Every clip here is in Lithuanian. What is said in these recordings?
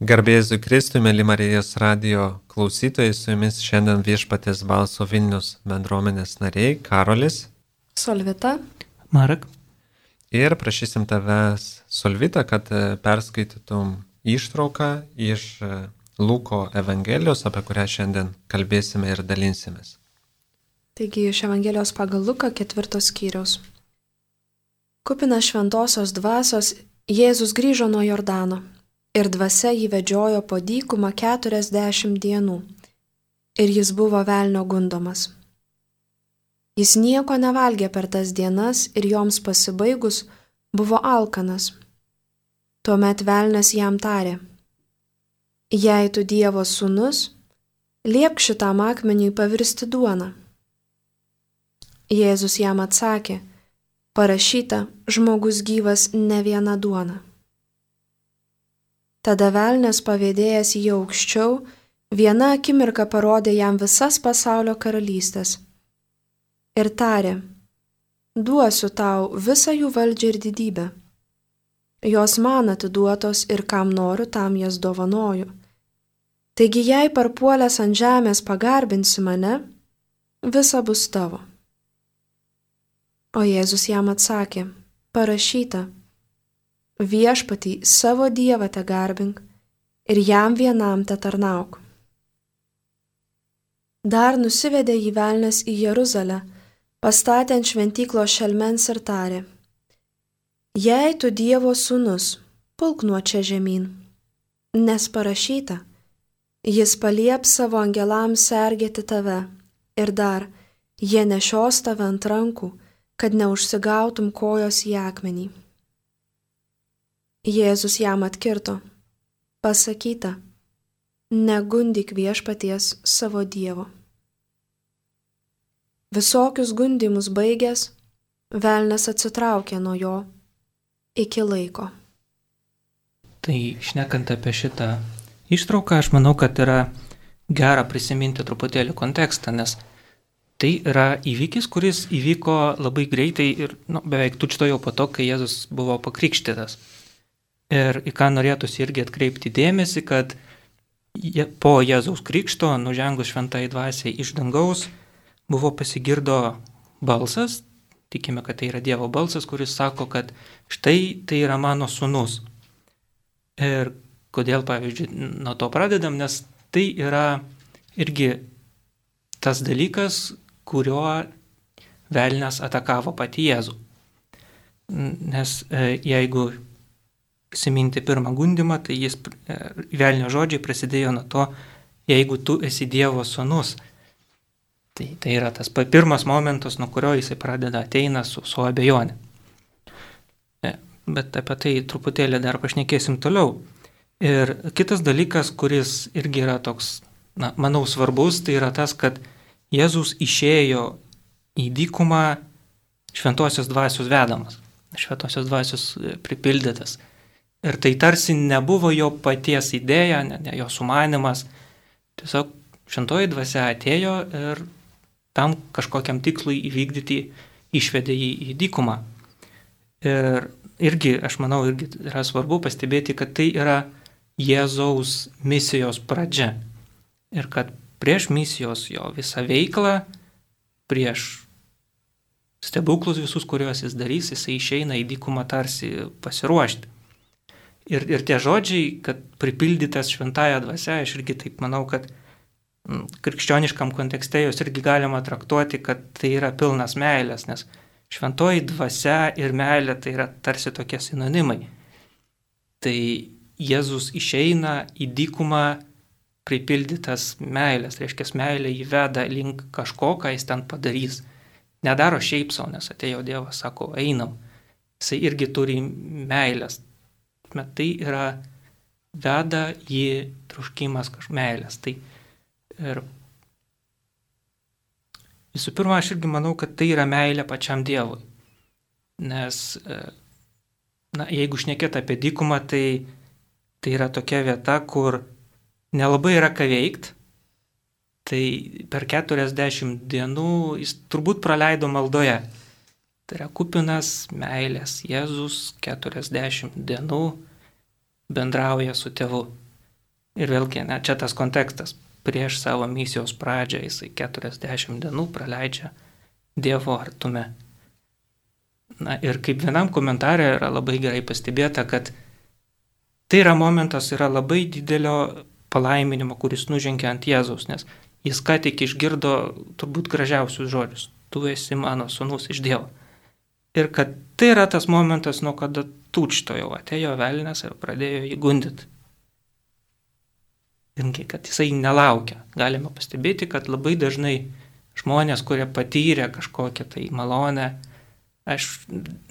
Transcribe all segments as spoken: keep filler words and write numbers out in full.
Garbėsiu Kristui, mėly Marijos radijo klausytojai, su jumis šiandien Viešpaties balso Vilnius bendruomenės nariai Karolis, Solvita, Marek. Ir prašysim tavęs, Solvita, kad perskaitytum ištrauką iš Luko Evangelijos, apie kurią šiandien kalbėsime ir dalinsimės. Taigi iš Evangelijos pagal Luką ketvirtos skyriaus. Kupinas šventosios dvasios, Jėzus grįžo nuo Jordano. Ir dvasia jį vedžiojo po dykumą keturiasdešimt dienų, ir jis buvo velnio gundomas. Jis nieko nevalgė per tas dienas ir joms pasibaigus buvo alkanas. Tuomet velnias jam tarė: Jei tu Dievo sūnus, liepk šitam akmeniui pavirsti duoną. Jėzus jam atsakė: Parašyta, žmogus gyvas ne viena duona. Tada velnias pavėdėjęs jį aukščiau, viena akimirka parodė jam visas pasaulio karalystės. Ir tarė: Duosiu tau visą jų valdžią ir didybę. Jos man atiduotos ir kam noriu, tam jas dovanoju. Taigi jei parpuolęs ant žemės pagarbinsi mane, visa bus tavo. O Jėzus jam atsakė: Parašyta, Viešpatį savo Dievą te garbink ir jam vienam te tarnauk. Dar nusivedė jį velnias į Jeruzalę, pastatė ant šventyklos šelmens ir tarė: Jei tu Dievo sūnus, pulk nuo čia žemyn, nes parašyta, jis palieps savo angelams sergėti tave, ir dar, jie nešios tave ant rankų, kad neužsigautum kojos į akmenį. Jėzus jam atkirto: Pasakyta, negundyk Viešpaties savo Dievo. Visokius gundymus baigęs, velnias atsitraukė nuo jo iki laiko. Tai šnekant apie šitą ištrauką, aš manau, kad yra gera prisiminti truputėlį kontekstą, nes tai yra įvykis, kuris įvyko labai greitai ir nu, beveik tučtuojau po to, kai Jėzus buvo pakrikštytas. Ir į ką norėtųsi irgi atkreipti dėmesį, kad po Jėzaus krikšto, nužengus šventai dvasiai iš dangaus, buvo pasigirdo balsas, tikime, kad tai yra Dievo balsas, kuris sako, kad štai tai yra mano sūnus. Ir kodėl, pavyzdžiui, nuo to pradedam, nes tai yra irgi tas dalykas, kuriuo velnias atakavo patį Jėzų. Nes jeigu prisiminti pirmą gundymą, tai jis, velnio žodžiai prasidėjo nuo to, jeigu tu esi Dievo sūnus. Tai, tai yra tas pirmas momentas, nuo kurio jisai pradeda ateina su, su abejonė. Bet apie tai truputėlį dar pašnekėsim toliau. Ir kitas dalykas, kuris irgi yra toks, na, manau, svarbus, tai yra tas, kad Jėzus išėjo į dykumą šventosios dvasios vedamas, šventosios dvasios pripildytas. Ir tai tarsi nebuvo jo paties idėja, ne, ne jo sumanimas. Tiesiog šventoji dvasia atėjo ir tam kažkokiam tikslui įvykdyti išvedė jį į dykumą. Ir irgi, aš manau, irgi yra svarbu pastebėti, kad tai yra Jėzaus misijos pradžia. Ir kad prieš misijos jo visą veiklą, prieš stebuklus visus, kuriuos jis darys, jisai išeina į dykumą tarsi pasiruošti. Ir, ir tie žodžiai, kad pripildytas šventąja dvasia, aš irgi taip manau, kad m, krikščioniškam kontekste jos irgi galima traktuoti, kad tai yra pilnas meilės, nes šventoji dvasia ir meilė tai yra tarsi tokie sinonimai. Tai Jėzus išeina į dykumą pripildytas meilės, reiškia meilė jį veda link kažko, ką jis ten padarys. Nedaro šiaip savo, nes atėjo Dievas, sako, einam. Jisai irgi turi meilės. Bet tai yra veda į troškimas kažkokios meilės. Tai ir visų pirma, aš irgi manau, kad tai yra meilė pačiam Dievui. Nes, na, jeigu šnekėt apie dykumą, tai, tai yra tokia vieta, kur nelabai yra ką veikt. Tai per keturiasdešimt dienų jis turbūt praleido maldoje. Tai yra kupinas meilės. Jėzus keturiasdešimt dienų bendrauja su tėvu. Ir vėlgi, ne, čia tas kontekstas. Prieš savo misijos pradžią jisai keturiasdešimt dienų praleidžia Dievo artume. Na ir kaip vienam komentarė yra labai gerai pastebėta, kad tai yra momentas, yra labai didelio palaiminimo, kuris nužengia ant Jėzaus, nes jis ką tik išgirdo turbūt gražiausius žodžius. Tu esi mano sūnus iš Dievo. Ir kad tai yra tas momentas, nuo kada tučtojo atėjo velnias ir pradėjo jį gundyti. Ir kad jisai nelaukia. Galime pastebėti, kad labai dažnai žmonės, kurie patyrė kažkokią tai malonę, aš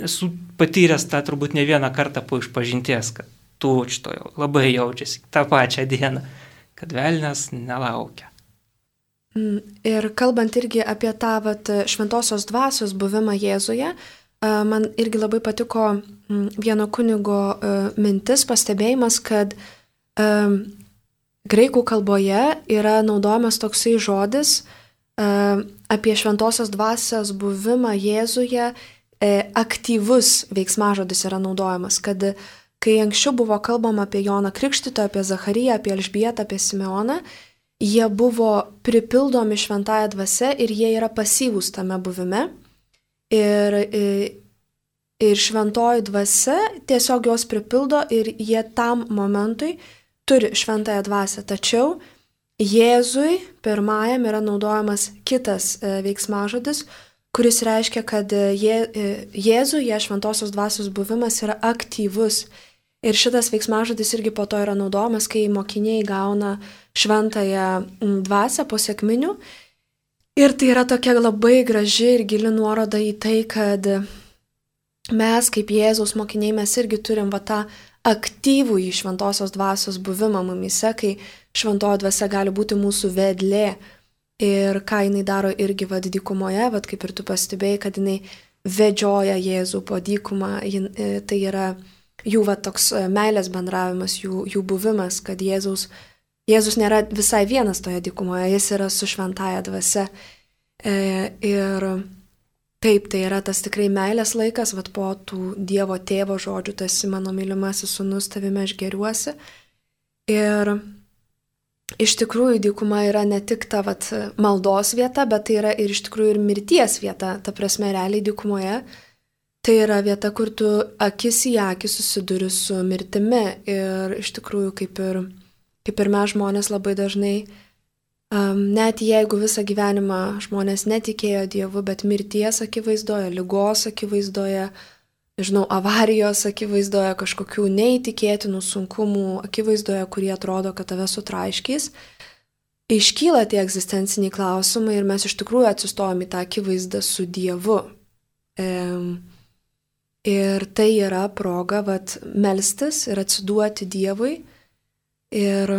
esu patyręs tą turbūt ne vieną kartą po išpažinties, kad tučtojo labai jaučiasi tą pačią dieną, kad velnias nelaukia. Ir kalbant irgi apie tą vat, šventosios dvasios buvimą Jėzuje, man irgi labai patiko vieno kunigo mintis, pastebėjimas, kad graikų kalboje yra naudojamas toksai žodis apie šventosios dvasios buvimą Jėzuje, aktyvus veiksmažodis yra naudojamas, kad kai anksčiau buvo kalbama apie Joną Krikštytoją, apie Zachariją, apie Elžbietą, apie Simeoną, jie buvo pripildomi šventąja dvasia ir jie yra pasyvūs tame buvime. Ir, ir šventoji dvasia tiesiog jos pripildo ir jie tam momentui turi šventąją dvasią. Tačiau Jėzui pirmajam yra naudojamas kitas veiksmažodis, kuris reiškia, kad je, Jėzuje šventosios dvasios buvimas yra aktyvus. Ir šitas veiksmažodis irgi po to yra naudojamas, kai mokiniai gauna šventąją dvasią po sekminių. Ir tai yra tokia labai graži ir gili nuoroda į tai, kad mes kaip Jėzaus mokiniai mes irgi turim va tą aktyvų į šventosios dvasios buvimą mumise, kai šventoji dvasia gali būti mūsų vedlė. Ir ką jinai daro irgi vad dykumoje, vad kaip ir tu pastebėjai, kad jinai vedžioja Jėzų po dykumą, jin, tai yra jų va toks meilės bendravimas, jų, jų buvimas, kad Jėzaus, Jėzus nėra visai vienas toje dykumoje, jis yra su šventąja dvasia. E, ir taip, tai yra tas tikrai meilės laikas, vat po tų Dievo tėvo žodžių, tu esi mano mylimasis sūnus, tavime aš geriuosi. Ir iš tikrųjų dykuma yra ne tik ta vat, maldos vieta, bet tai yra ir iš tikrųjų ir mirties vieta, ta prasme realiai dykumoje. Tai yra vieta, kur tu akis į akį susiduri su mirtimi ir iš tikrųjų kaip ir, kaip ir mes žmonės labai dažnai, um, net jeigu visą gyvenimą žmonės netikėjo Dievu, bet mirties akivaizdoje, ligos akivaizdoje, žinau, avarijos akivaizdoje, kažkokių neįtikėtinų sunkumų akivaizdoje, kurie atrodo, kad tave sutraiškys, iškyla tie egzistenciniai klausimai ir mes iš tikrųjų atsistojame į tą akivaizdą su Dievu. E, ir tai yra proga vat, melstis ir atsiduoti Dievui ir,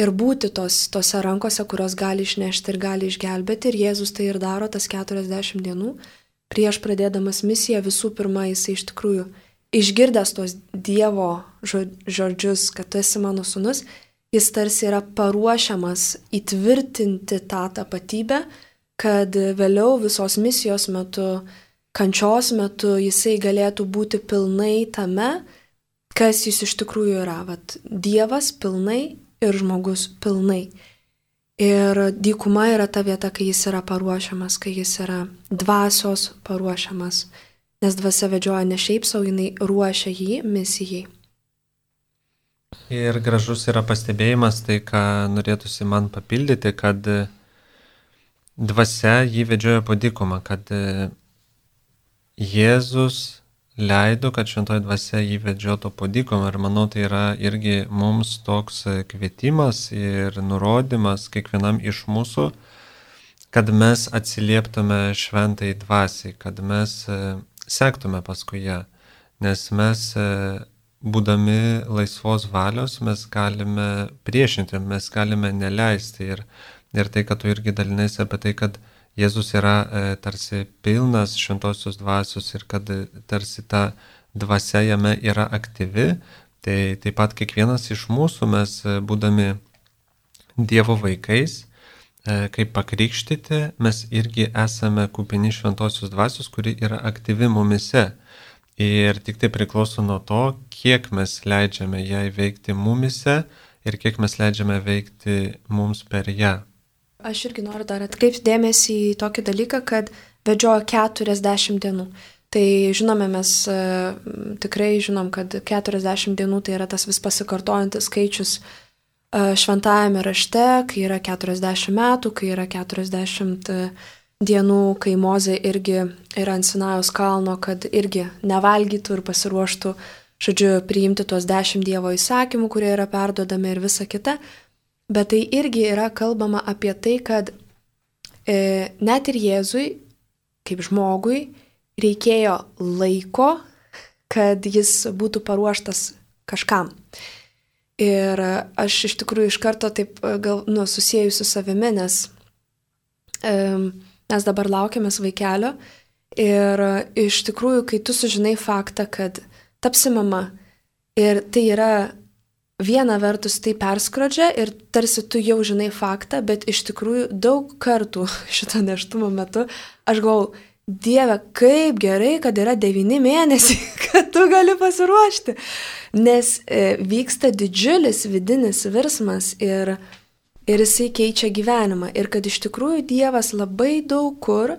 ir būti tos, tose rankose, kurios gali išnešti ir gali išgelbėti. Ir Jėzus tai ir daro tas keturiasdešimt dienų. Prieš pradėdamas misiją visų pirma jisai iš tikrųjų išgirdęs tos Dievo žodžius, kad tu esi mano sūnus, jis tarsi yra paruošiamas įtvirtinti tą tapatybę, kad vėliau visos misijos metu, kančios metu jisai galėtų būti pilnai tame, kas jis iš tikrųjų yra. Vat, Dievas pilnai ir žmogus pilnai. Ir dykuma yra ta vieta, kai jis yra paruošiamas, kai jis yra dvasios paruošiamas, nes dvasia vedžioja ne šiaip savo, jinai ruošia jį misijai. Ir gražus yra pastebėjimas, tai ką norėtųsi man papildyti, kad dvasia jį vedžioja po dykumą, kad Jėzus leido, kad šventoji dvasia jį vedžiotų po dykumą ir manau, tai yra irgi mums toks kvietimas ir nurodymas kiekvienam iš mūsų, kad mes atsilieptume šventai dvasiai, kad mes sektume paskui ją, nes mes būdami laisvos valios mes galime priešinti, mes galime neleisti ir, ir tai, kad tu irgi dalinasi apie tai, kad Jėzus yra e, tarsi pilnas šventosios dvasios ir kad e, tarsi ta dvasia jame yra aktyvi, tai taip pat kiekvienas iš mūsų mes e, būdami Dievo vaikais, e, kaip pakrikštyti, mes irgi esame kupini šventosios dvasios, kuri yra aktyvi mumise. Ir tik tai priklauso nuo to, kiek mes leidžiame jai veikti mumise ir kiek mes leidžiame veikti mums per ją. Aš irgi noriu dar atkreipti dėmesį į tokį dalyką, kad vedžiojo keturiasdešimt dienų. Tai žinome, mes e, tikrai žinom, kad keturiasdešimt dienų tai yra tas vis pasikartojantis skaičius e, šventajame rašte, kai yra keturiasdešimt metų, kai yra keturiasdešimt dienų, kai Mozė irgi yra ant Sinajaus kalno, kad irgi nevalgytų ir pasiruoštų, žodžiu, priimti tuos dešimt Dievo įsakymų, kurie yra perduodami ir visa kita. Bet tai irgi yra kalbama apie tai, kad e, net ir Jėzui, kaip žmogui, reikėjo laiko, kad jis būtų paruoštas kažkam. Ir aš iš tikrųjų iš karto taip gal, nu, susijęju su savimi, nes e, mes dabar laukiamės vaikelio ir iš tikrųjų, kai tu sužinai faktą, kad tapsi mama ir tai yra viena vertus tai perskrodžia ir tarsi tu jau žinai faktą, bet iš tikrųjų daug kartų šito nėštumo metu aš galvoju, Dieve, kaip gerai, kad yra devyni mėnesiai, kad tu gali pasiruošti, nes e, vyksta didžiulis vidinis virsmas ir, ir jisai keičia gyvenimą ir kad iš tikrųjų Dievas labai daug kur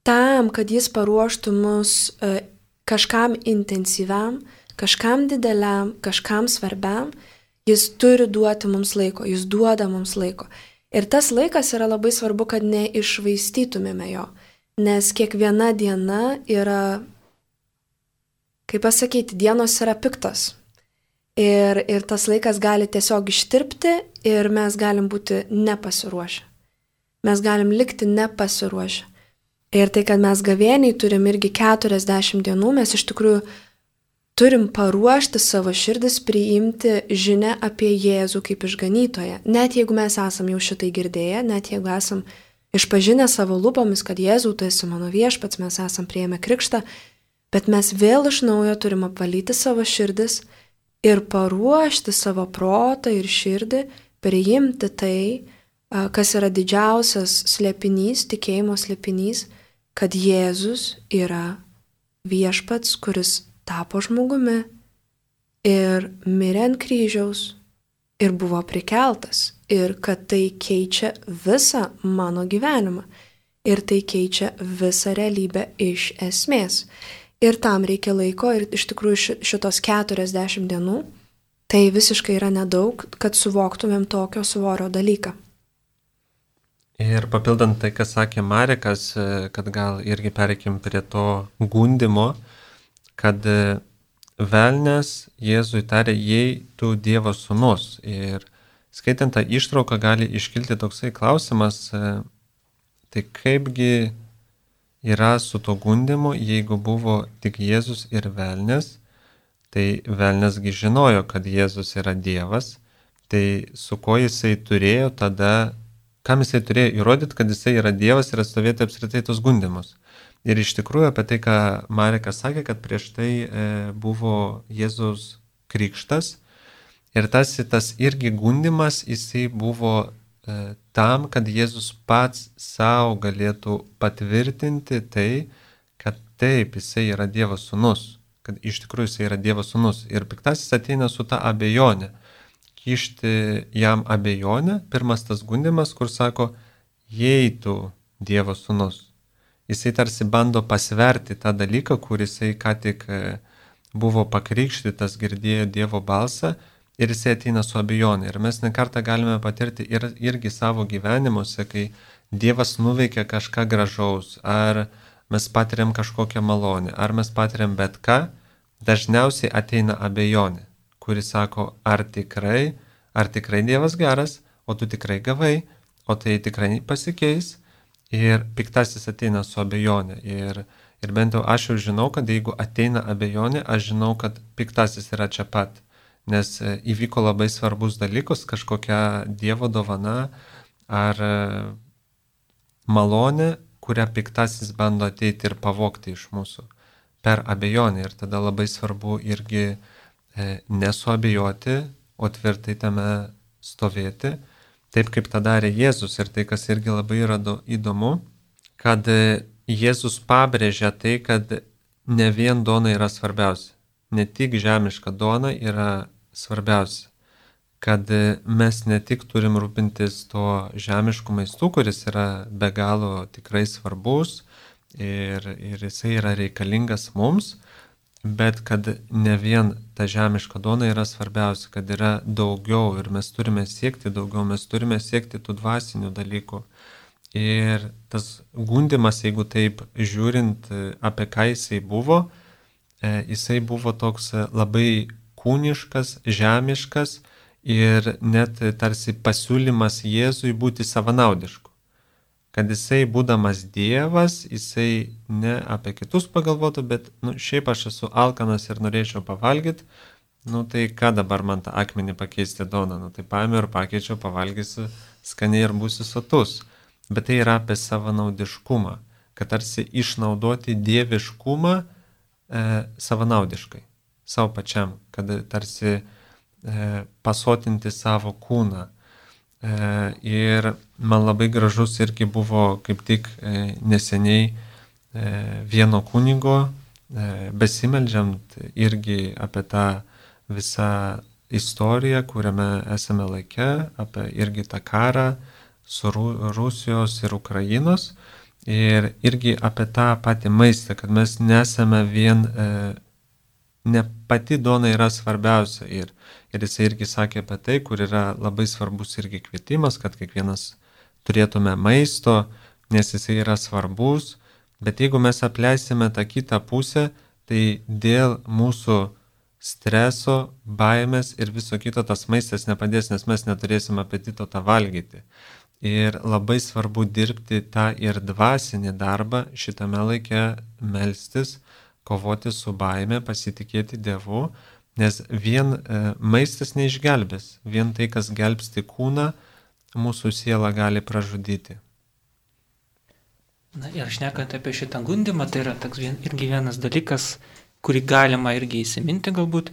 tam, kad jis paruoštų mus e, kažkam intensyviam, kažkam dideliam, kažkam svarbiam, jis turi duoti mums laiko, jis duoda mums laiko. Ir tas laikas yra labai svarbu, kad neišvaistytumėme jo, nes kiekviena diena yra, kaip pasakyti, dienos yra piktos. Ir, ir tas laikas gali tiesiog ištirpti ir mes galim būti nepasiruošę. Mes galim likti nepasiruošę. Ir tai, kad mes gavėniai turim irgi keturiasdešimt dienų, mes iš tikrųjų turim paruošti savo širdis priimti žinią apie Jėzų kaip išganytoją. Net jeigu mes esam jau šitai girdėję, net jeigu esam išpažinę savo lūpomis, kad Jėzau, tu esi mano viešpats, mes esam priėmę krikštą, bet mes vėl iš naujo turim apvalyti savo širdis ir paruošti savo protą ir širdį, priimti tai, kas yra didžiausias slėpinys, tikėjimo slėpinys, kad Jėzus yra viešpats, kuris tapo žmogumi ir mirė ant kryžiaus ir buvo prikeltas ir kad tai keičia visą mano gyvenimą ir tai keičia visą realybę iš esmės. Ir tam reikia laiko ir iš tikrųjų šitos keturiasdešimt dienų tai visiškai yra nedaug, kad suvoktumėm tokio svorio dalyką. Ir papildant tai, kas sakė Marekas, kad gal irgi pereikim prie to gundimo, kad velnias Jėzui tarė, jei tu Dievo sūnus. Ir skaitant tą ištrauką gali iškilti toksai klausimas, tai kaipgi yra su to gundimu, jeigu buvo tik Jėzus ir velnias, tai velniasgi žinojo, kad Jėzus yra Dievas, tai su ko jisai turėjo tada, kam jisai turėjo įrodyti, kad jisai yra Dievas ir atstovėti apskritai tos gundimus. Ir iš tikrųjų apie tai, ką Marekas sakė, kad prieš tai e, buvo Jėzaus krikštas ir tas, tas irgi gundimas, jisai buvo e, tam, kad Jėzus pats savo galėtų patvirtinti tai, kad taip, jisai yra Dievo sūnus, kad iš tikrųjų jisai yra Dievo sūnus. Ir piktasis ateina su ta abejonė, kišti jam abejonę, pirmas tas gundimas, kur sako, jei tu Dievo sūnus. Jisai tarsi bando pasverti tą dalyką, kur jisai ką tik buvo pakrikštytas, girdėjo Dievo balsą ir jisai ateina su abejonė. Ir mes nekartą galime patirti ir, irgi savo gyvenimuose, kai Dievas nuveikia kažką gražaus, ar mes patiriam kažkokią malonę, ar mes patiriam bet ką, dažniausiai ateina abejonė, kuri sako, ar tikrai, ar tikrai Dievas geras, o tu tikrai gavai, o tai tikrai pasikeis. Ir piktasis ateina su abejonė. Ir, ir bent jau aš jau žinau, kad jeigu ateina abejonė, aš žinau, kad piktasis yra čia pat. Nes įvyko labai svarbus dalykus, kažkokia Dievo dovana ar malonė, kurią piktasis bando ateiti ir pavogti iš mūsų per abejonę. Ir tada labai svarbu irgi nesuabejoti, o tvirtai tame stovėti. Taip kaip tą darė Jėzus ir tai, kas irgi labai yra įdomu, kad Jėzus pabrėžia tai, kad ne vien duona yra svarbiausia, ne tik žemiška duona yra svarbiausia, kad mes ne tik turim rūpintis to žemišku maistu, kuris yra be galo tikrai svarbus ir, ir jisai yra reikalingas mums, bet kad ne vien ta žemiška duona yra svarbiausia, kad yra daugiau ir mes turime siekti daugiau, mes turime siekti tų dvasinių dalykų. Ir tas gundimas, jeigu taip žiūrint, apie ką jisai buvo, jisai buvo toks labai kūniškas, žemiškas ir net tarsi pasiūlymas Jėzui būti savanaudišku. Kad jisai, būdamas Dievas, jisai ne apie kitus pagalvotų, bet nu, šiaip aš esu alkanas ir norėčiau pavalgyti, nu tai ką dabar man tą akmenį pakeisti duoną, nu tai paėmiau ir pakeičiau, pavalgysiu skaniai ir būsiu sotus. Bet tai yra apie savanaudiškumą, kad tarsi išnaudoti dieviškumą e, savanaudiškai, savo pačiam, kad tarsi e, pasotinti savo kūną. E, ir man labai gražus irgi buvo kaip tik e, neseniai e, vieno kunigo e, besimeldžiant irgi apie tą visą istoriją, kuriame esame laike, apie irgi tą karą su Rusijos ir Ukrainos ir irgi apie tą patį maistą, kad mes nesame vien, e, ne pati duona yra svarbiausia ir, ir jis irgi sakė apie tai, kur yra labai svarbus irgi kvietimas, kad kiekvienas turėtume maisto, nes jisai yra svarbus, bet jeigu mes apleisime tą kitą pusę, tai dėl mūsų streso, baimės ir viso kito tas maistas nepadės, nes mes neturėsim apetito tą valgyti. Ir labai svarbu dirbti tą ir dvasinį darbą šitame laike, melstis, kovoti su baime, pasitikėti Dievu, nes vien e, maistas neišgelbės, vien tai, kas gelbsti kūną, mūsų sielą gali pražudyti. Na ir šnekant apie šitą gundimą, tai yra toks vien, irgi vienas dalykas, kurį galima irgi įsiminti galbūt,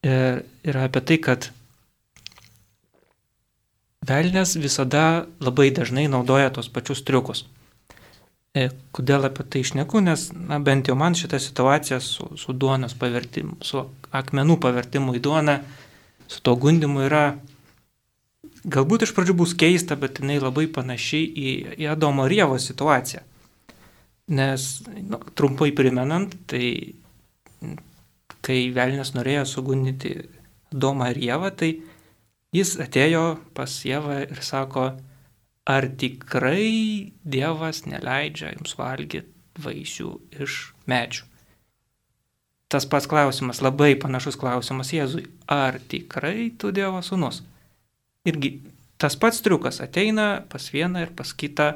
ir, yra apie tai, kad velnias visada labai dažnai naudoja tos pačius triukus. E, kodėl apie tai šneku, nes na, bent jau man šita situacija su, su duonos pavertimu, su akmenų pavertimu į duoną, su to gundimu yra, galbūt iš pradžių bus keista, bet jinai labai panaši į, į Adomo ir Ievos situaciją. Nes, nu, trumpai primenant, tai kai velnias norėjo sugundyti Adomą ir Ievą, tai jis atėjo pas Ievą ir sako, ar tikrai Dievas neleidžia jums valgyti vaisių iš medžių? Tas pats klausimas, labai panašus klausimas Jėzui, ar tikrai tu Dievo sūnus? Irgi tas pats triukas ateina pas vieną ir pas kitą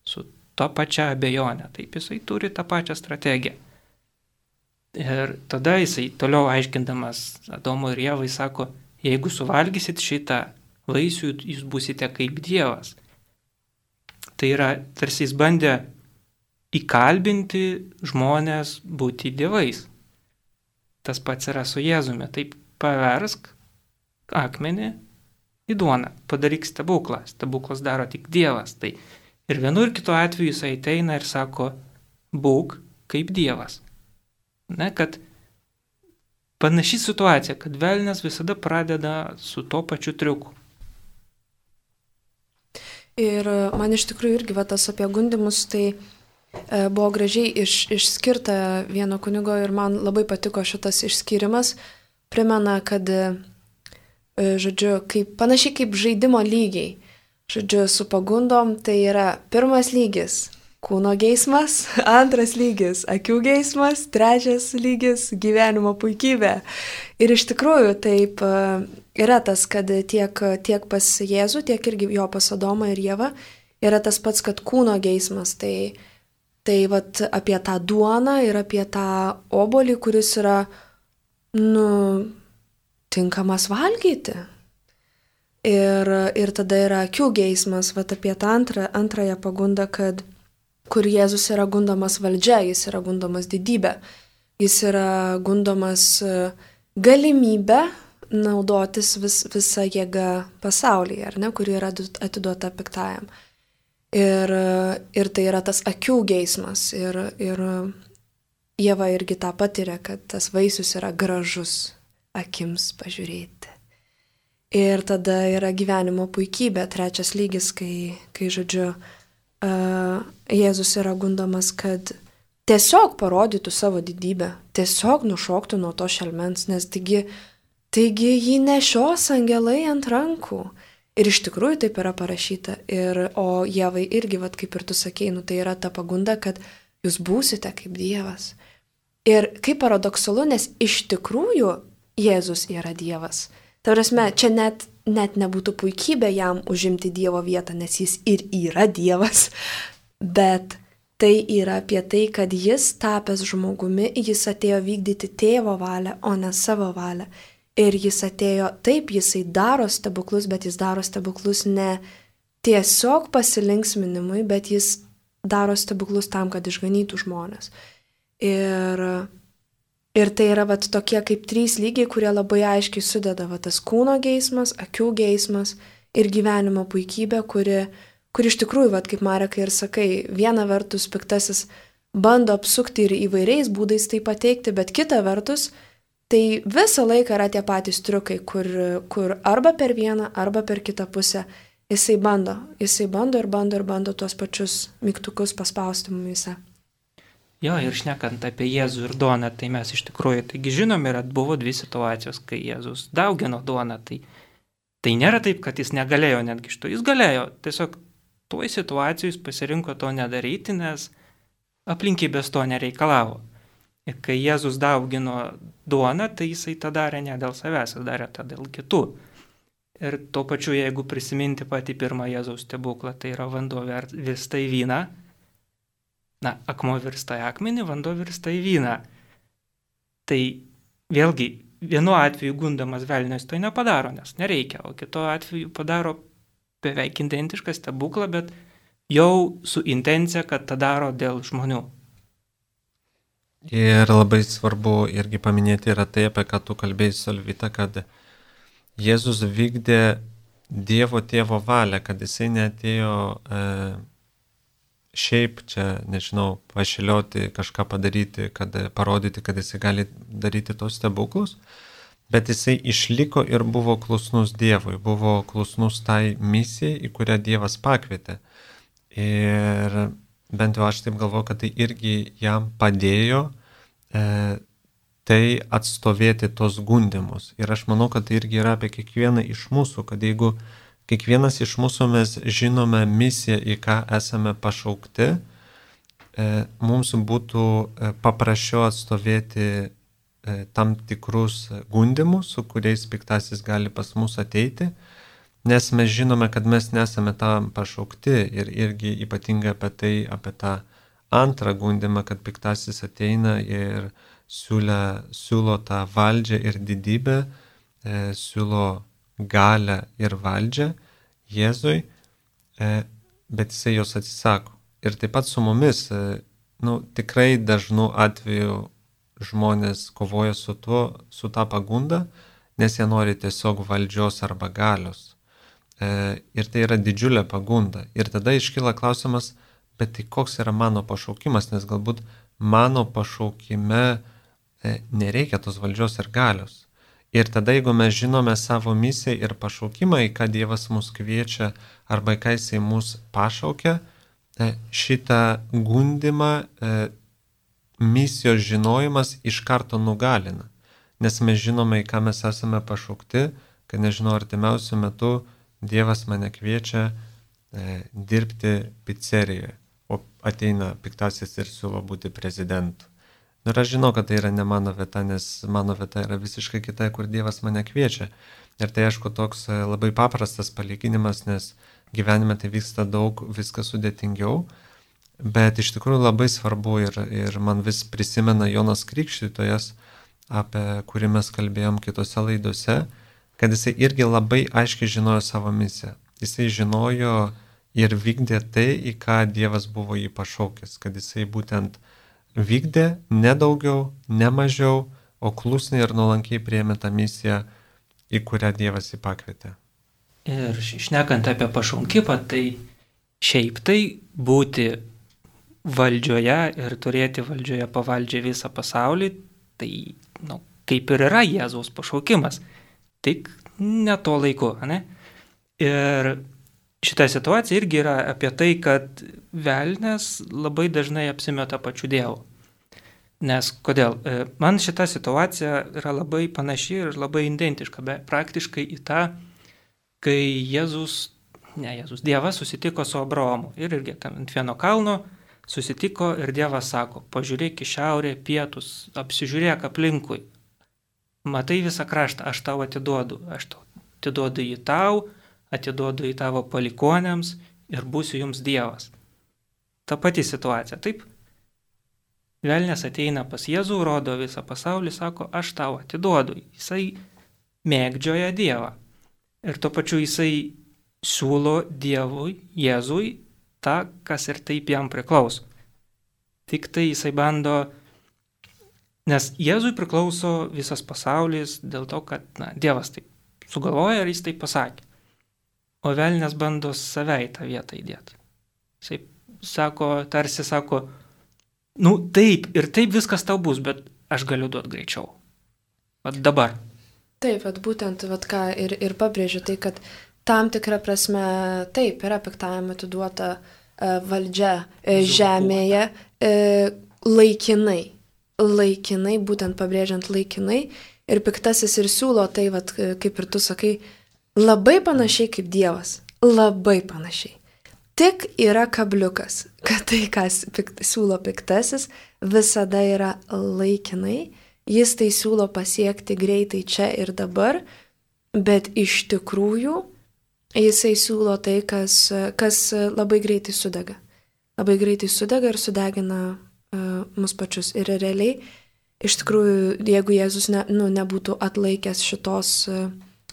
su to pačia abejonė, taip jisai turi tą pačią strategiją. Ir tada jisai toliau aiškindamas Adomui ir Ievai sako, jeigu suvalgysit šitą vaisių, jūs būsite kaip Dievas. Tai yra, tarsi jis bandė įkalbinti žmonės būti dievais. Tas pats yra su Jėzumi. Taip paversk akmenį į duoną, padaryk stebuklą. Stebuklas daro tik Dievas. Tai ir vienu ir kitu atveju jis ateina ir sako, būk kaip Dievas. Ne, kad panaši situacija, kad velnias visada pradeda su to pačiu triuku. Ir man iš tikrųjų irgi va, tas apie gundimus, tai e, buvo gražiai iš, išskirta vieno kunigo ir man labai patiko šitas išskyrimas. Primena, kad, e, žodžiu, kaip, panašiai kaip žaidimo lygiai. Žodžiu, su pagundom tai yra pirmas lygis kūno geismas, antras lygis akių geismas, trečias lygis gyvenimo puikybė. Ir iš tikrųjų taip yra tas, kad tiek, tiek pas Jėzų, tiek irgi jo pas Adomą ir Ievą yra tas pats, kad kūno geismas. Tai, tai vat, apie tą duoną ir apie tą obuolį, kuris yra nu, tinkamas valgyti. Ir, ir tada yra akių geismas, vat, apie tą antrą, antrąją pagundą, kad kur Jėzus yra gundomas valdžia, jis yra gundomas didybė, jis yra gundomas galimybę naudotis vis, visą jėgą pasaulyje, ar ne, kuri yra atiduota piktajam. Ir, ir tai yra tas akių geismas. Ir, ir Ieva irgi tą patiria, kad tas vaisius yra gražus akims pažiūrėti. Ir tada yra gyvenimo puikybė, trečias lygis, kai, kai žodžiu, uh, Jėzus yra gundomas, kad tiesiog parodytų savo didybę, tiesiog nušoktų nuo to šelmens, nes taigi, taigi jį nešios angelai ant rankų. Ir iš tikrųjų taip yra parašyta. Ir, o Jėvai irgi, vat, kaip ir tu sakei, nu, tai yra ta pagunda, kad jūs būsite kaip Dievas. Ir kaip paradoksalu, nes iš tikrųjų Jėzus yra Dievas. Tai prasme, čia net, net nebūtų puikybė jam užimti Dievo vietą, nes jis ir yra Dievas. Bet tai yra apie tai, kad jis tapęs žmogumi, jis atėjo vykdyti tėvo valią, o ne savo valią. Ir jis atėjo, taip, jisai daro stebuklus, bet jis daro stebuklus ne tiesiog pasilinksminimui, bet jis daro stebuklus tam, kad išganytų žmonės. Ir, ir tai yra vat, tokie kaip trys lygiai, kurie labai aiškiai sudeda vat, tas kūno geismas, akių geismas ir gyvenimo puikybė, kuri, kuri iš tikrųjų, vat, kaip Marekai ir sakai, viena vertus piktasis bando apsukti ir įvairiais būdais tai pateikti, bet kita vertus, tai visą laiką yra tie patys triukai, kur, kur arba per vieną, arba per kitą pusę jisai bando, jisai bando ir bando ir bando tuos pačius mygtukus paspausti mumise. Jo, ir šnekant apie Jėzų ir duoną, tai mes iš tikrųjų, taigi žinom, yra buvo dvi situacijos, kai Jėzus daugino duoną, tai, tai nėra taip, kad jis negalėjo netgi iš to, jis galėjo, tiesiog toj situacijoj jis pasirinko to nedaryti, nes aplinkybės to nereikalavo. Ir kai Jėzus daugino duoną, tai jisai tą darė ne dėl savęs, jis darė tą dėl kitų. Ir tuo pačiu, jeigu prisiminti patį pirmą Jėzaus stebuklą, tai yra vanduo virsta į vyną, na, akmuo virsta į akmenį, vanduo virsta į vyną. Tai vėlgi, vienu atveju gundamas velnias to nepadaro, nes nereikia, o kito atveju padaro beveik identišką stebuklą, bet jau su intencija, kad tą daro dėl žmonių. Ir labai svarbu irgi paminėti yra tai, apie ką tu kalbėjai, Solvita, kad Jėzus vykdė Dievo tėvo valią, kad jisai neatėjo e, šiaip čia, nežinau, pašilioti, kažką padaryti, kad parodyti, kad jisai gali daryti tos stebuklus, bet jisai išliko ir buvo klusnus Dievui, buvo klusnus tai misijai, į kurią Dievas pakvietė. Ir bent jau aš taip galvoju, kad tai irgi jam padėjo e, tai atstovėti tos gundymus. Ir aš manau, kad tai irgi yra apie kiekvieną iš mūsų, kad jeigu kiekvienas iš mūsų mes žinome misiją, į ką esame pašaukti, e, mums būtų paprasčiau atstovėti e, tam tikrus gundymus, su kuriais piktasis gali pas mus ateiti, nes mes žinome, kad mes nesame tam pašaukti ir irgi ypatingai apie tai, apie tą antrą gundymą, kad piktasis ateina ir siūlė, siūlo tą valdžią ir didybę, e, siūlo galę ir valdžią Jėzui, e, bet jisai jos atsisako. Ir taip pat su mumis, e, nu, tikrai dažnu atveju žmonės kovoja su tuo, su tą pagundą, nes jie nori tiesiog valdžios arba galios. E, ir tai yra didžiulė pagunda. Ir tada iškyla klausimas, bet tai koks yra mano pašaukimas, nes galbūt mano pašaukime e, nereikia tos valdžios ir galios. Ir tada, jeigu mes žinome savo misiją ir pašaukimą, į ką Dievas mus kviečia arba į ką jisai mus pašaukia, e, šitą gundimą e, misijos žinojimas iš karto nugalina. Nes mes žinome, į ką mes esame pašaukti, kad nežinau, artimiausiu metu Dievas mane kviečia e, dirbti pizzerijoje, o ateina piktasis ir siūlo būti prezidentu. Ir aš žinau, kad tai yra ne mano vieta, nes mano vieta yra visiškai kita, kur Dievas mane kviečia. Ir tai aišku toks labai paprastas palyginimas, nes gyvenime tai vyksta daug, viskas sudėtingiau, bet iš tikrųjų labai svarbu ir, ir man vis prisimena Jonas Krikštytojas, apie kurį mes kalbėjom kitose laidose, kad jisai irgi labai aiškiai žinojo savo misiją. Jisai žinojo ir vykdė tai, į ką Dievas buvo jį pašaukęs, kad jisai būtent vykdė ne daugiau, ne mažiau, o klusniai ir nuolankiai priėmė tą misiją, į kurią Dievas jį pakvietė. Ir šnekant apie pašaukimą, tai šiaip tai būti valdžioje ir turėti valdžioje pavaldžią visą pasaulį, tai nu, kaip ir yra Jėzaus pašaukimas. Tik ne to laiku, ne? Ir šita situacija irgi yra apie tai, kad velnias labai dažnai apsimeta pačiu Dievu. Nes kodėl? Man šita situacija yra labai panaši ir labai identiška, bet praktiškai į tą, kai Jėzus, ne Jėzus, Dievas susitiko su Abraomu. Ir irgi ant vieno kalno susitiko ir Dievas sako, pažiūrėk į šiaurę, pietus, apsižiūrėk aplinkui. Matai visą kraštą, aš tau atiduodu, aš tau atiduodu jį tau, atiduodu į tavo palikuonėms ir būsiu jums Dievas. Ta pati situacija, taip? Velnias ateina pas Jėzų, rodo visą pasaulį, sako, aš tau atiduodu. Jisai mėgdžioja Dievą. Ir tuo pačiu jisai siūlo Dievui, Jėzui, tą, kas ir taip jam priklauso. Tik tai jisai bando, nes Jėzui priklauso visas pasaulis dėl to, kad na, Dievas taip sugalvoja ir jis taip pasakė. O velnias bando save į tą vietą įdėti. Jisai sako, tarsi sako, nu taip ir taip viskas tau bus, bet aš galiu duoti greičiau. Vat dabar. Taip, vat būtent, vat ką ir, ir pabrėžiu, tai kad tam tikrą prasme taip yra piktajam atiduota e, valdžia e, žemėje e, laikinai. Laikinai, būtent pabrėžiant laikinai. Ir piktasis ir siūlo tai, vat, kaip ir tu sakai, labai panašiai kaip Dievas. Labai panašiai. Tik yra kabliukas, kad tai, kas pikt, siūlo piktasis, visada yra laikinai. Jis tai siūlo pasiekti greitai čia ir dabar, bet iš tikrųjų jisai siūlo tai, kas, kas labai greitai sudega. Labai greitai sudega ir sudegina uh, mus pačius. Ir realiai, iš tikrųjų, jeigu Jėzus ne, nu, nebūtų atlaikęs šitos, uh,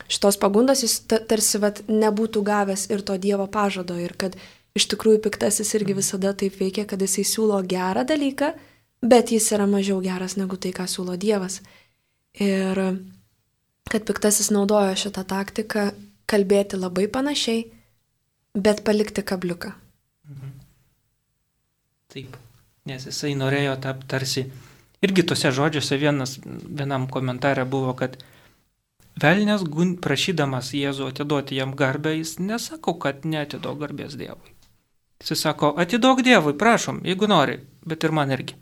šitos pagundos, jis t- tarsi vat, nebūtų gavęs ir to Dievo pažado. Ir kad iš tikrųjų piktasis irgi visada taip veikia, kad jisai siūlo gerą dalyką, bet jis yra mažiau geras negu tai, ką siūlo Dievas. Ir kad piktasis naudojo šitą taktiką kalbėti labai panašiai, bet palikti kabliuką. Mhm. Taip, nes jisai norėjo tapti tarsi, irgi tose žodžiuose vienas, vienam komentare buvo, kad velnias prašydamas Jėzų atiduoti jam garbę, jis nesako, kad neatiduok garbės Dievui. Jis sako, atiduok Dievui, prašom, jeigu nori, bet ir man irgi.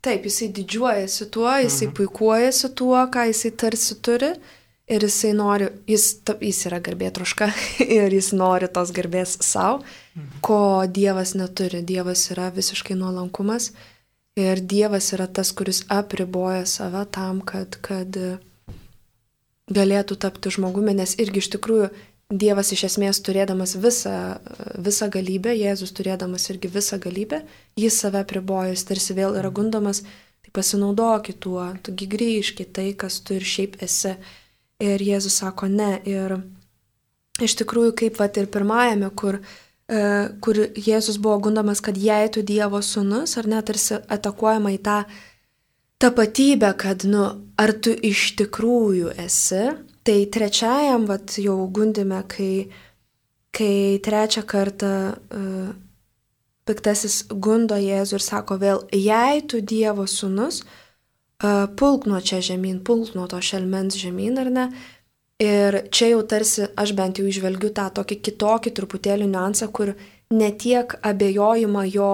Taip, jisai didžiuojasi tuo, jisai mhm. puikuojasi tuo, ką jisai tarsi turi ir jisai nori, jis, jis yra garbėtroška ir jis nori tos garbės savo, mhm. ko Dievas neturi. Dievas yra visiškai nuolankumas ir Dievas yra tas, kuris apriboja save tam, kad, kad galėtų tapti žmogumi, nes irgi iš tikrųjų Dievas iš esmės turėdamas visą, visą galybę, Jėzus turėdamas irgi visą galybę, jis save apriboja, jis tarsi vėl yra gundomas, tai pasinaudokit tuo, tugi grįžkit tai, kas tu ir šiaip esi. Ir Jėzus sako ne. Ir iš tikrųjų, kaip vat ir pirmajame, kur, e, kur Jėzus buvo gundomas, kad jei tu Dievo sūnus, ar net tarsi atakuojama į tą tapatybę, kad, nu, ar tu iš tikrųjų esi. Tai trečiajam, vat, jau gundime, kai, kai trečią kartą uh, piktasis gundo Jėzų ir sako vėl, jei tu Dievo sūnus, uh, pulk nuo čia žemyn, pulk nuo to šelmens žemyn, ar ne? Ir čia jau tarsi, aš bent jau išvelgiu tą tokį kitokį truputėlį niuansą, kur ne tiek abejojama jo,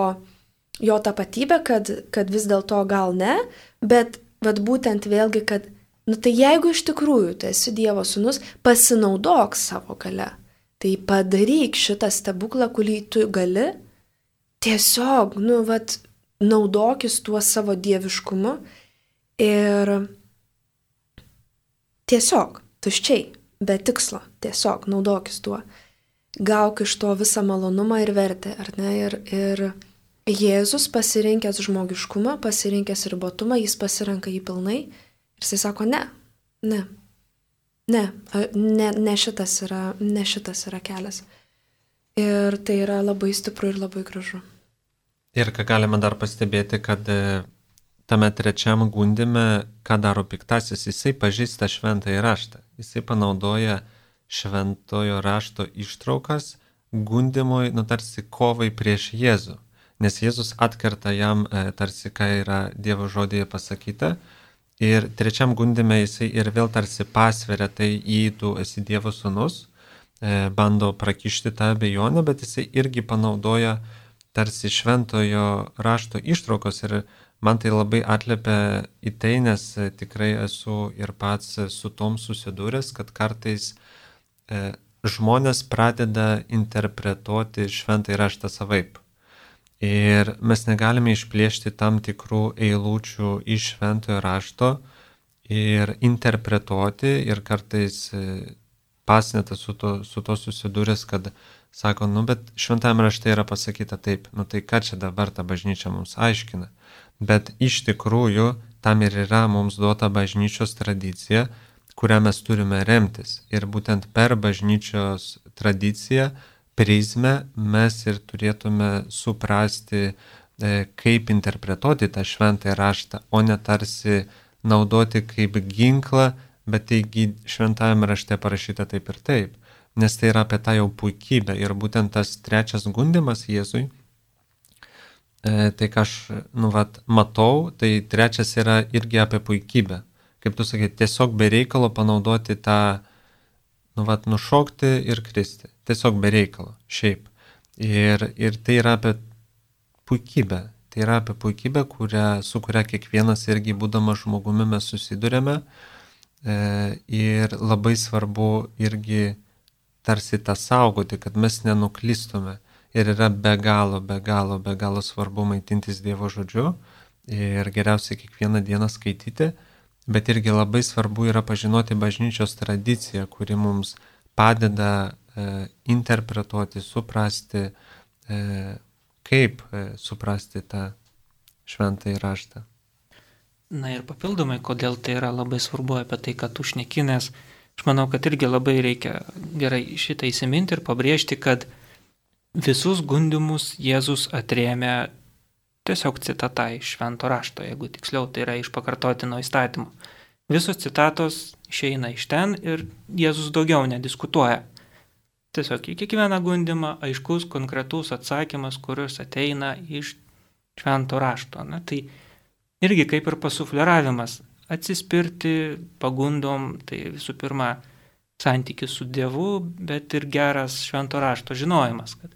jo tapatybė, kad, kad vis dėlto gal ne, bet vat, būtent vėlgi, kad nu tai jeigu iš tikrųjų tu esi Dievo sūnus, pasinaudok savo gale. Tai padaryk šitą stebuklą, kurį tu gali, tiesiog, nu, vat, naudokis tuo savo dieviškumu ir tiesiog, tuščiai, be tikslo, tiesiog naudokis tuo. Gauk iš to visą malonumą ir vertę, ar ne? Ir, ir Jėzus pasirinkęs žmogiškumą, pasirinkęs ribotumą, jis pasirenka jį pilnai. Ir jisai sako, ne, ne, ne, ne, ne, šitas yra, ne šitas yra kelias. Ir tai yra labai stipru ir labai gražu. Ir ką galime dar pastebėti, kad tame trečiam gundime, ką daro piktasis, jisai pažįsta šventąjį raštą. Jisai panaudoja šventojo rašto ištraukas gundimui, nu tarsi kovai prieš Jėzų. Nes Jėzus atkerta jam tarsi, ką yra Dievo žodėje pasakyta. Ir trečiam gundime jisai ir vėl tarsi pasveria, tai į tu esi Dievo sūnus, bando prakišti tą abejonę, bet jisai irgi panaudoja tarsi šventojo rašto ištraukos ir man tai labai atliepia į tai, nes tikrai esu ir pats su tom susidūręs, kad kartais e, žmonės pradeda interpretuoti šventąjį raštą savaip. Ir mes negalime išplėšti tam tikrų eilučių iš šventojo rašto ir interpretuoti ir kartais pasnetas su to, su to susidūręs, kad sako, nu bet šventajame rašte yra pasakyta taip, nu tai ką čia dabar ta bažnyčia mums aiškina. Bet iš tikrųjų tam ir yra mums duota bažnyčios tradicija, kurią mes turime remtis. Ir būtent per bažnyčios tradiciją, prizmę mes ir turėtume suprasti, kaip interpretuoti tą šventąjį raštą, o ne tarsi naudoti kaip ginklą, bet taigi šventajame rašte parašyta taip ir taip, nes tai yra apie tą jau puikybę. Ir būtent tas trečias gundimas Jėzui, e, tai ką aš nu, vat, matau, tai trečias yra irgi apie puikybę. Kaip tu sakai, tiesiog be reikalo panaudoti tą, nu, vat, nušokti ir kristi. Tiesiog be reikalo, šiaip. Ir, ir tai yra apie puikybę. Tai yra apie puikybę, kurią, su kuria kiekvienas irgi būdamas žmogumi mes susidurėme. E, ir labai svarbu irgi tarsi tą saugoti, kad mes nenuklystume. Ir yra be galo, be galo, be galo svarbu maitintis Dievo žodžiu ir geriausiai kiekvieną dieną skaityti, bet irgi labai svarbu yra pažinoti bažnyčios tradiciją, kuri mums padeda e, interpretuoti, suprasti, e, kaip e, suprasti tą šventąjį raštą. Na ir papildomai, kodėl tai yra labai svarbu apie tai, kad tu šneki, nes aš manau, kad irgi labai reikia gerai šitą įsiminti ir pabrėžti, kad visus gundimus Jėzus atrėmė tiesiog citata iš švento rašto, jeigu tiksliau tai yra iš pakartotino įstatymo. Visos citatos išeina iš ten ir Jėzus daugiau nediskutuoja. Tiesiog į kiekvieną gundimą aiškus, konkretus atsakymas, kuris ateina iš švento rašto. Na, tai irgi kaip ir pasufleravimas, atsispirti pagundom, tai visų pirma santykis su Dievu, bet ir geras švento rašto žinojimas, kad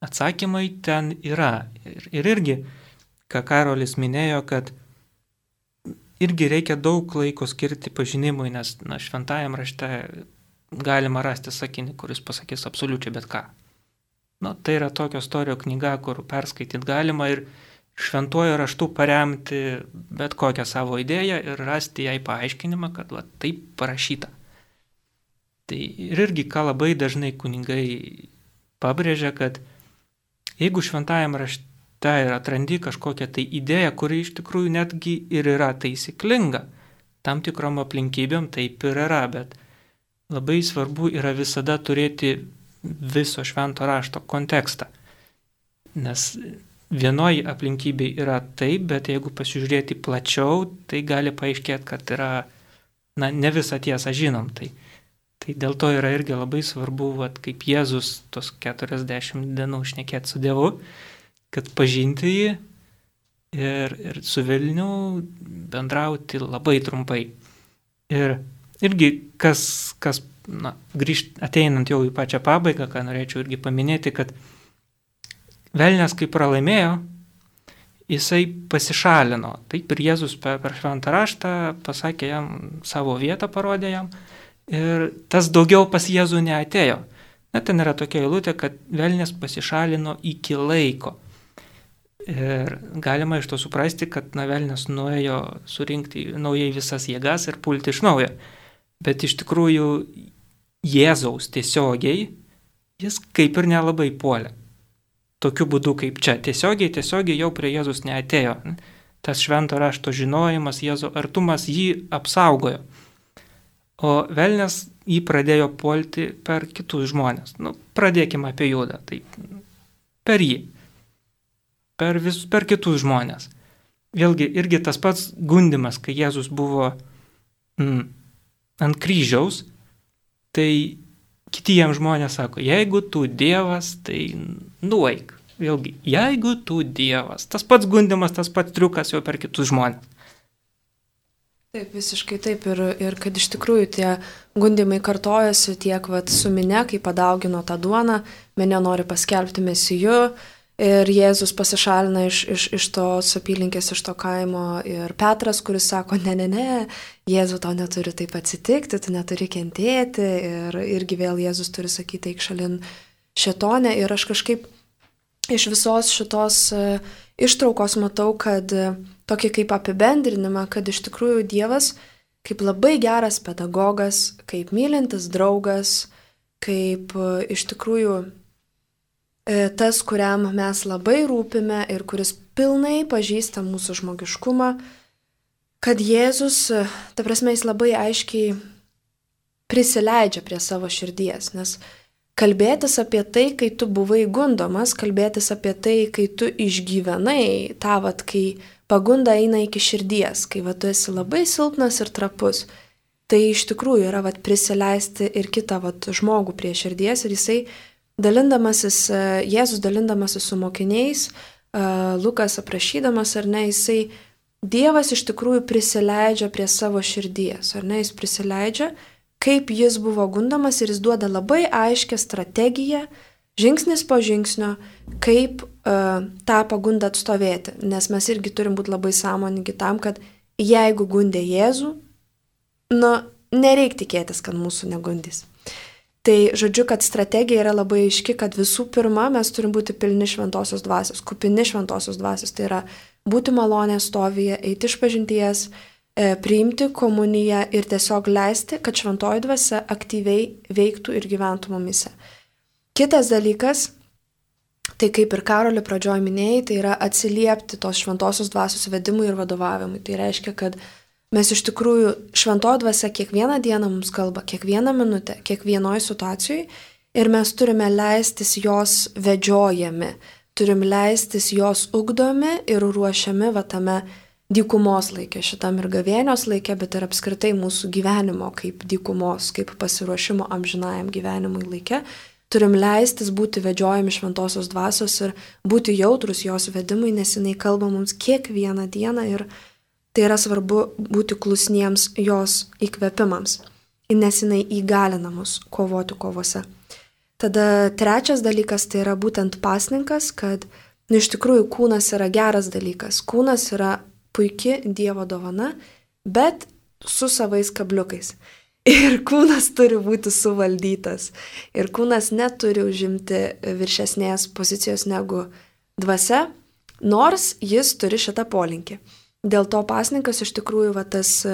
atsakymai ten yra. Ir, ir irgi, ką Karolis minėjo, kad irgi reikia daug laiko skirti pažinimui, nes na, šventajam rašte galima rasti sakinį, kuris pasakys absoliučiai bet ką. Nu, tai yra tokio istorijos knyga, kur perskaityti galima ir šventuoju raštu paremti bet kokią savo idėją ir rasti jai paaiškinimą, kad va, taip parašyta. Tai ir irgi, ką labai dažnai kunigai pabrėžia, kad jeigu šventajam rašte ir atrandi kažkokią tai idėją, kuri iš tikrųjų netgi ir yra taisyklinga, tam tikrom aplinkybėm taip ir yra, bet labai svarbu yra visada turėti viso švento rašto kontekstą. Nes vienoji aplinkybė yra taip, bet jeigu pasižiūrėti plačiau, tai gali paaiškėti, kad yra, na, ne visą tiesą žinom. Tai, tai dėl to yra irgi labai svarbu, vat, kaip Jėzus tos keturiasdešimt dienų šnekėti su Dievu, kad pažinti jį ir, ir su velniu bendrauti labai trumpai. Ir irgi, kas, kas na, grįžt, ateinant jau į pačią pabaigą, ką norėčiau irgi paminėti, kad velnias, kai pralaimėjo, jisai pasišalino. Taip ir Jėzus per, per šventą raštą pasakė jam, savo vietą parodė jam ir tas daugiau pas Jėzų neatėjo. Net ten yra tokia eilutė, kad velnias pasišalino iki laiko. Ir galima iš to suprasti, kad na, velnias nuėjo surinkti naujai visas jėgas ir pulti iš naujo. Bet iš tikrųjų Jėzaus tiesiogiai jis kaip ir nelabai puolė. Tokiu būdu kaip čia. Tiesiogiai, tiesiogiai jau prie Jėzus neatėjo. Tas švento rašto žinojimas, Jėzo artumas jį apsaugojo. O velnias jį pradėjo puolti per kitus žmonės. Nu, pradėkime apie Judą. Tai per jį. Per, vis, per kitus žmonės. Vėlgi, irgi tas pats gundimas, kai Jėzus buvo mm, ant kryžiaus, tai kiti jam žmonės sako, jeigu tu Dievas, tai nueik. Vėlgi, jeigu tu Dievas. Tas pats gundimas, tas pats triukas jau per kitus žmonės. Taip, visiškai taip. Ir, ir kad iš tikrųjų tie gundimai kartojasi tiek vat, su minia, kai padaugino tą duoną, minia nori paskelbti mesiju ir Jėzus pasišalina iš, iš, iš tos apylinkės, iš to kaimo. Ir Petras, kuris sako, ne, ne, ne, Jėzu, tau neturi taip atsitikti, tu neturi kentėti. Ir irgi vėl Jėzus turi sakyti, eik šalin šėtonę. Ir aš kažkaip iš visos šitos uh, ištraukos matau, kad uh, tokį kaip apibendrinimą, kad iš tikrųjų Dievas kaip labai geras pedagogas, kaip mylintis draugas, kaip iš tikrųjų tas, kuriam mes labai rūpime ir kuris pilnai pažįsta mūsų žmogiškumą, kad Jėzus, ta prasme, jis labai aiškiai prisileidžia prie savo širdies, nes kalbėtis apie tai, kai tu buvai gundomas, kalbėtis apie tai, kai tu išgyvenai, tą vat, kai pagunda eina iki širdies, kai va, tu esi labai silpnas ir trapus. Tai iš tikrųjų yra va, prisileisti ir kitą va, žmogų prie širdies ir jisai dalindamasis, Jėzus dalindamasis su mokiniais, Lukas aprašydamas, ar ne, jisai, Dievas iš tikrųjų prisileidžia prie savo širdies, ar ne, jis prisileidžia, kaip jis buvo gundomas ir jis duoda labai aiškę strategiją, žingsnis po žingsnio, kaip uh, tą pagundą atstovėti. Nes mes irgi turim būti labai sąmoningi tam, kad jeigu gundė Jėzų, nu, nereik tikėtis, kad mūsų negundys. Tai žodžiu, kad strategija yra labai aiški, kad visų pirma mes turim būti pilni šventosios dvasios, kupini šventosios dvasios. Tai yra būti malonės stovyje, eiti iš pažinties, e, priimti komuniją ir tiesiog leisti, kad šventoji dvasia aktyviai veiktų ir gyventų mumise. Kitas dalykas, tai kaip ir Karoli pradžioj minėjai, tai yra atsiliepti tos šventosios dvasios vedimui ir vadovavimui. Tai reiškia, kad mes iš tikrųjų šventoji dvasia kiekvieną dieną mums kalba, kiekvieną minutę, kiekvienoje situacijoje ir mes turime leistis jos vedžiojami, turim leistis jos ugdomi ir ruošiami va tame dykumos laike, šitam ir gavėnios laike, bet ir apskritai mūsų gyvenimo kaip dykumos, kaip pasiruošimo amžinajam gyvenimui laike. Turim leistis būti vedžiojami šventosios dvasios ir būti jautrus jos vedimui, nes jinai kalba mums kiekvieną dieną ir tai yra svarbu būti klusniems jos įkvėpimams, nes jinai įgalina mus kovoti kovose. Tada trečias dalykas tai yra būtent pasninkas, kad nu, iš tikrųjų kūnas yra geras dalykas. Kūnas yra puiki Dievo dovana, bet su savais kabliukais. Ir kūnas turi būti suvaldytas. Ir kūnas neturi užimti viršesnės pozicijos negu dvasia, nors jis turi šitą polinkį. Dėl to pasninkas iš tikrųjų va, tas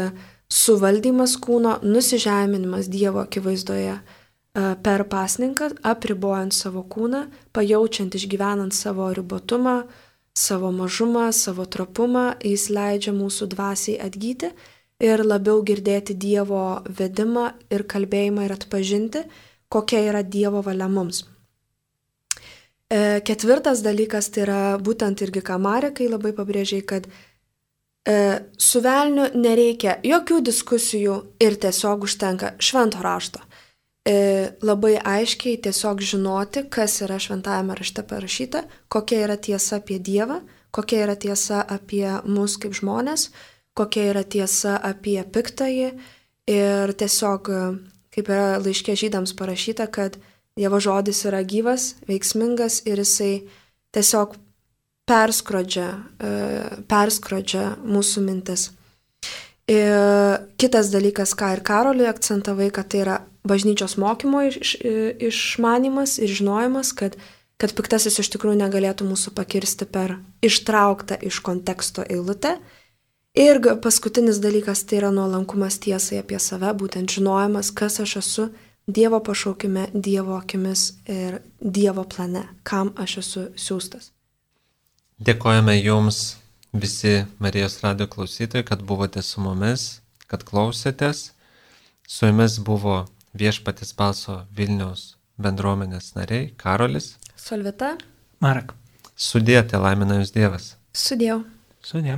suvaldymas kūno, nusižeminimas Dievo akivaizdoje per pasninką, apribojant savo kūną, pajaučiant, išgyvenant savo ribotumą, savo mažumą, savo trapumą, jis leidžia mūsų dvasiai atgyti ir labiau girdėti Dievo vedimą ir kalbėjimą ir atpažinti, kokia yra Dievo valia mums. E, ketvirtas dalykas tai yra būtent irgi ką Marekai labai pabrėžiai, kad e, su velniu nereikia jokių diskusijų ir tiesiog užtenka švento rašto. E, labai aiškiai tiesiog žinoti, kas yra šventajame rašte parašyta, kokia yra tiesa apie Dievą, kokia yra tiesa apie mus kaip žmonės, kokia yra tiesa apie piktąjį ir tiesiog, kaip yra laiške žydams parašyta, kad Dievo žodis yra gyvas, veiksmingas ir jisai tiesiog perskrodžia, perskrodžia mūsų mintis. Ir kitas dalykas, ką ir Karoliui akcentavai, kad tai yra bažnyčios mokymo iš, išmanimas ir žinojimas, kad, kad piktasis iš tikrųjų negalėtų mūsų pakirsti per ištrauktą iš konteksto eilutę. Ir paskutinis dalykas tai yra nuolankumas tiesai apie save, būtent žinojimas, kas aš esu Dievo pašaukime, Dievo akimis ir Dievo plane, kam aš esu siųstas. Dėkojame Jums visi Marijos radijo klausytojai, kad buvote su mumis, kad klausėtės. Su Jumis buvo Viešpaties balso Vilniaus bendruomenės nariai Karolis, Solvita, Marek. Sudie, te laimina Jus Dievas. Sudiev. Sudie.